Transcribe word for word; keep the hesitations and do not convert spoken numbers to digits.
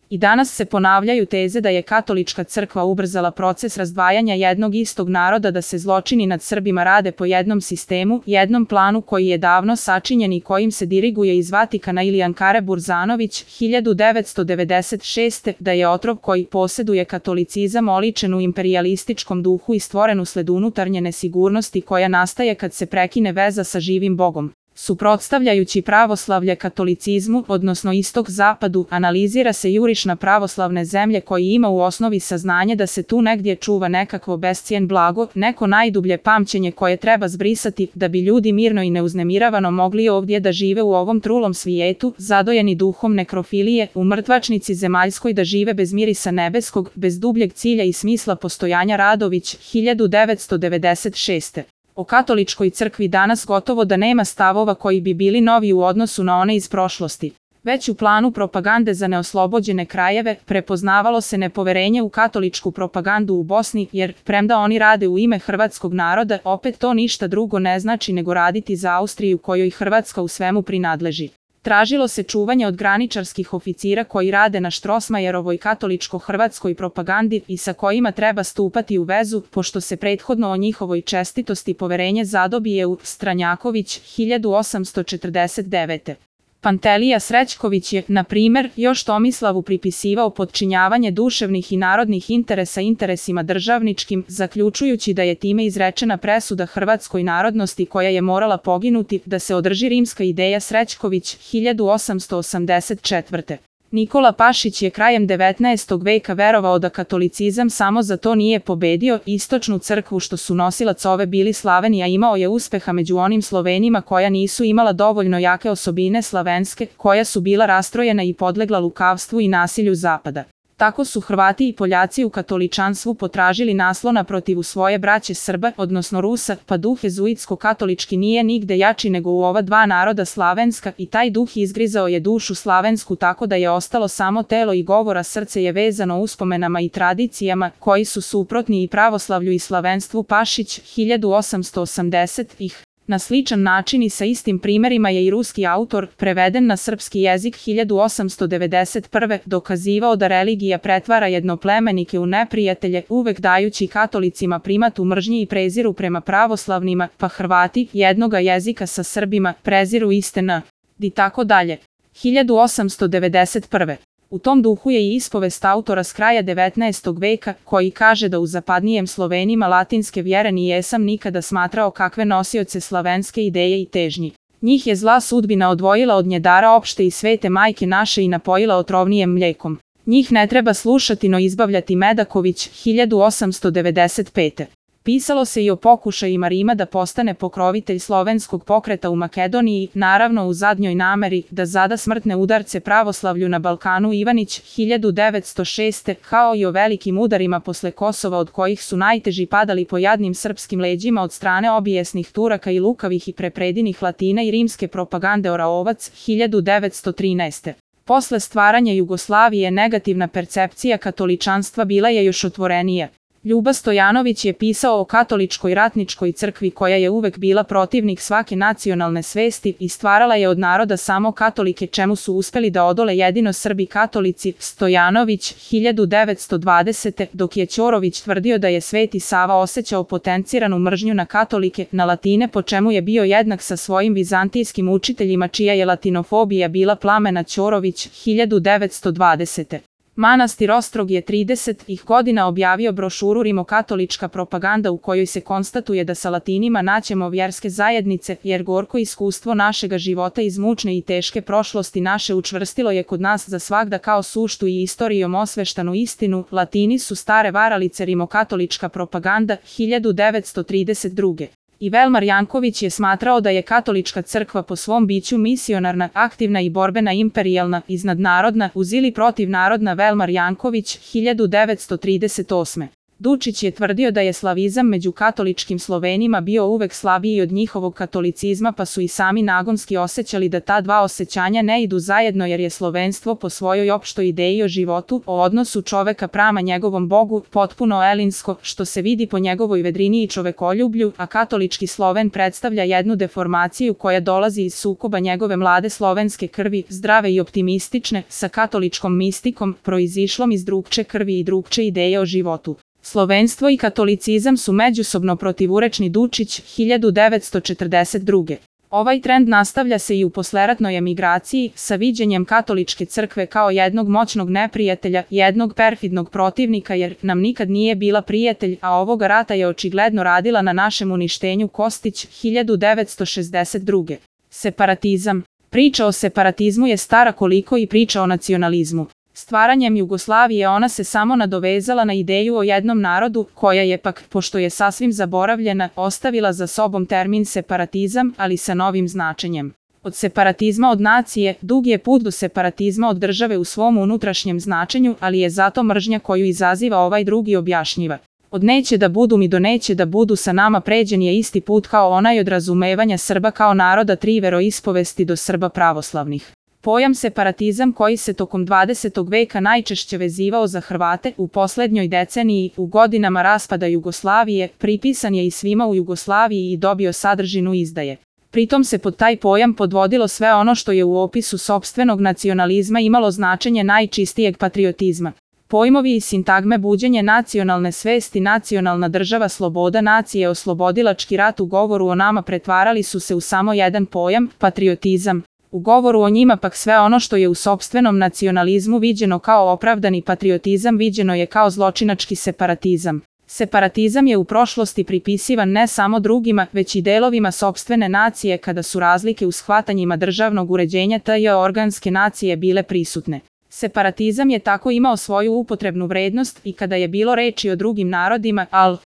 I danas se ponavljaju teze da je katolička crkva ubrzala proces razdvajanja jednog istog naroda, da se zločini nad Srbima rade po jednom sistemu, jednom planu koji je davno sačinjen i kojim se diriguje iz Vatikana ili Ankare. Burzanović, hiljadu devetsto devedeset šeste. Da je otrov koji poseduje katolicizam oličen u imperijalističkom duhu i stvoren usled unutarnje nesigurnosti koja nastaje kad se prekine veza sa živim Bogom. Suprotstavljajući pravoslavlje katolicizmu, odnosno istok-zapadu, analizira se juriš na pravoslavne zemlje koji ima u osnovi saznanje da se tu negdje čuva nekakvo bescijen blago, neko najdublje pamćenje koje treba zbrisati da bi ljudi mirno i neuznemiravano mogli ovdje da žive u ovom trulom svijetu, zadojeni duhom nekrofilije, u mrtvačnici zemaljskoj da žive bez mirisa nebeskog, bez dubljeg cilja i smisla postojanja. Radović, hiljadu devetsto devedeset šeste. O katoličkoj crkvi danas gotovo da nema stavova koji bi bili novi u odnosu na one iz prošlosti. Već u planu propagande za neoslobođene krajeve prepoznavalo se nepoverenje u katoličku propagandu u Bosni, jer, premda oni rade u ime hrvatskog naroda, opet to ništa drugo ne znači nego raditi za Austriju kojoj Hrvatska u svemu prinadleži. Tražilo se čuvanje od graničarskih oficira koji rade na Štrosmajerovoj katoličko-hrvatskoj propagandi i sa kojima treba stupati u vezu, pošto se prethodno o njihovoj čestitosti poverenje zadobije u Stranjaković, hiljadu osamsto četrdeset devete. Pantelija Srećković je, na primjer, još Tomislavu pripisivao podčinjavanje duševnih i narodnih interesa interesima državničkim, zaključujući da je time izrečena presuda hrvatskoj narodnosti koja je morala poginuti, da se održi rimska ideja. Srećković, hiljadu osamsto osamdeset četvrte. Nikola Pašić je krajem devetnaestog veka verovao da katolicizam samo za to nije pobedio istočnu crkvu što su nosilac ove bili Slaveni, a imao je uspeha među onim Slovenima koja nisu imala dovoljno jake osobine slavenske, koja su bila rastrojena i podlegla lukavstvu i nasilju Zapada. Tako su Hrvati i Poljaci u katoličanstvu potražili naslona protiv svoje braće Srba, odnosno Rusa, pa duh jezuitsko-katolički nije nigde jači nego u ova dva naroda slavenska i taj duh izgrizao je dušu slavensku tako da je ostalo samo telo i govora, srce je vezano uspomenama i tradicijama koji su suprotni i pravoslavlju i slavenstvu. Pašić, hiljadu osamsto osamdesetih. Na sličan način i sa istim primjerima je i ruski autor, preveden na srpski jezik hiljadu osamsto devedeset prve. dokazivao da religija pretvara jednoplemenike u neprijatelje, uvek dajući katolicima primat u mržnji i preziru prema pravoslavnima, pa Hrvati, jednoga jezika sa Srbima, preziru iste n. I tako dalje. hiljadu osamsto devedeset prve. U tom duhu je i ispovest autora s kraja devetnaestog veka, koji kaže da u zapadnijem Slovenima latinske vjere nijesam nikada smatrao kakve nosioce slavenske ideje i težnji. Njih je zla sudbina odvojila od njedara opšte i svete majke naše i napojila otrovnijem mlijekom. Njih ne treba slušati no izbavljati. Medaković, hiljadu osamsto devedeset pete. Pisalo se i o pokušajima Rima da postane pokrovitelj slovenskog pokreta u Makedoniji, naravno u zadnjoj nameri da zada smrtne udarce pravoslavlju na Balkanu. Ivanić, hiljadu devetsto šeste. Kao i o velikim udarima posle Kosova od kojih su najteži padali po jadnim srpskim leđima od strane obijesnih Turaka i lukavih i prepredinih Latina i rimske propagande. Oraovac, hiljadu devetsto trinaeste. Posle stvaranja Jugoslavije negativna percepcija katoličanstva bila je još otvorenija. Ljuba Stojanović je pisao o katoličkoj ratničkoj crkvi koja je uvek bila protivnik svake nacionalne svesti i stvarala je od naroda samo katolike, čemu su uspeli da odole jedino Srbi katolici. Stojanović, hiljadu devetsto dvadesete. Dok je Ćorović tvrdio da je Sveti Sava osjećao potenciranu mržnju na katolike, na Latine, po čemu je bio jednak sa svojim vizantijskim učiteljima čija je latinofobija bila plamena. Ćorović, hiljadu devetsto dvadesete. Manastir Ostrog je tridesetih godina objavio brošuru Rimokatolička propaganda u kojoj se konstatuje da sa Latinima naćemo vjerske zajednice, jer gorko iskustvo našega života iz mučne i teške prošlosti naše učvrstilo je kod nas za svagda kao suštu i istorijom osveštanu istinu. Latini su stare varalice. Rimokatolička propaganda, hiljadu devetsto trideset druge. I Velmar Janković je smatrao da je katolička crkva po svom biću misionarna, aktivna i borbena, imperijalna, iznadnarodna, uz ili protiv narodna. Velmar Janković, hiljadu devetsto trideset osme. Dučić je tvrdio da je slavizam među katoličkim Slovenima bio uvek slabiji od njihovog katolicizma, pa su i sami nagonski osjećali da ta dva osjećanja ne idu zajedno, jer je slovenstvo po svojoj opštoj ideji o životu, o odnosu čoveka prama njegovom Bogu, potpuno elinsko, što se vidi po njegovoj vedrini i čovekoljublju, a katolički Sloven predstavlja jednu deformaciju koja dolazi iz sukoba njegove mlade slovenske krvi, zdrave i optimistične, sa katoličkom mistikom, proizišlom iz drugče krvi i drugče ideje o životu. Slovenstvo i katolicizam su međusobno protivurečni. Dučić, hiljadu devetsto četrdeset druge. Ovaj trend nastavlja se i u posleratnoj emigraciji, sa viđenjem katoličke crkve kao jednog moćnog neprijatelja, jednog perfidnog protivnika, jer nam nikad nije bila prijatelj, a ovoga rata je očigledno radila na našem uništenju. Kostić, hiljadu devetsto šezdeset druge. Separatizam. Priča o separatizmu je stara koliko i priča o nacionalizmu. Stvaranjem Jugoslavije ona se samo nadovezala na ideju o jednom narodu, koja je pak, pošto je sasvim zaboravljena, ostavila za sobom termin separatizam, ali sa novim značenjem. Od separatizma od nacije, dug je put do separatizma od države u svom unutrašnjem značenju, ali je zato mržnja koju izaziva ovaj drugi objašnjiva. Od neće da budu mi do neće da budu sa nama pređen je isti put kao onaj od razumevanja Srba kao naroda tri veroispovesti do Srba pravoslavnih. Pojam separatizam, koji se tokom dvadesetog veka najčešće vezivao za Hrvate, u poslednjoj deceniji, u godinama raspada Jugoslavije, pripisan je i svima u Jugoslaviji i dobio sadržinu izdaje. Pritom se pod taj pojam podvodilo sve ono što je u opisu sopstvenog nacionalizma imalo značenje najčistijeg patriotizma. Pojmovi i sintagme buđenje nacionalne svesti, nacionalna država, sloboda nacije, oslobodilački rat u govoru o nama pretvarali su se u samo jedan pojam, patriotizam. U govoru o njima pak sve ono što je u sopstvenom nacionalizmu viđeno kao opravdani patriotizam viđeno je kao zločinački separatizam. Separatizam je u prošlosti pripisivan ne samo drugima, već i delovima sopstvene nacije kada su razlike u shvatanjima državnog uređenja te organske nacije bile prisutne. Separatizam je tako imao svoju upotrebnu vrednost i kada je bilo reči o drugim narodima, al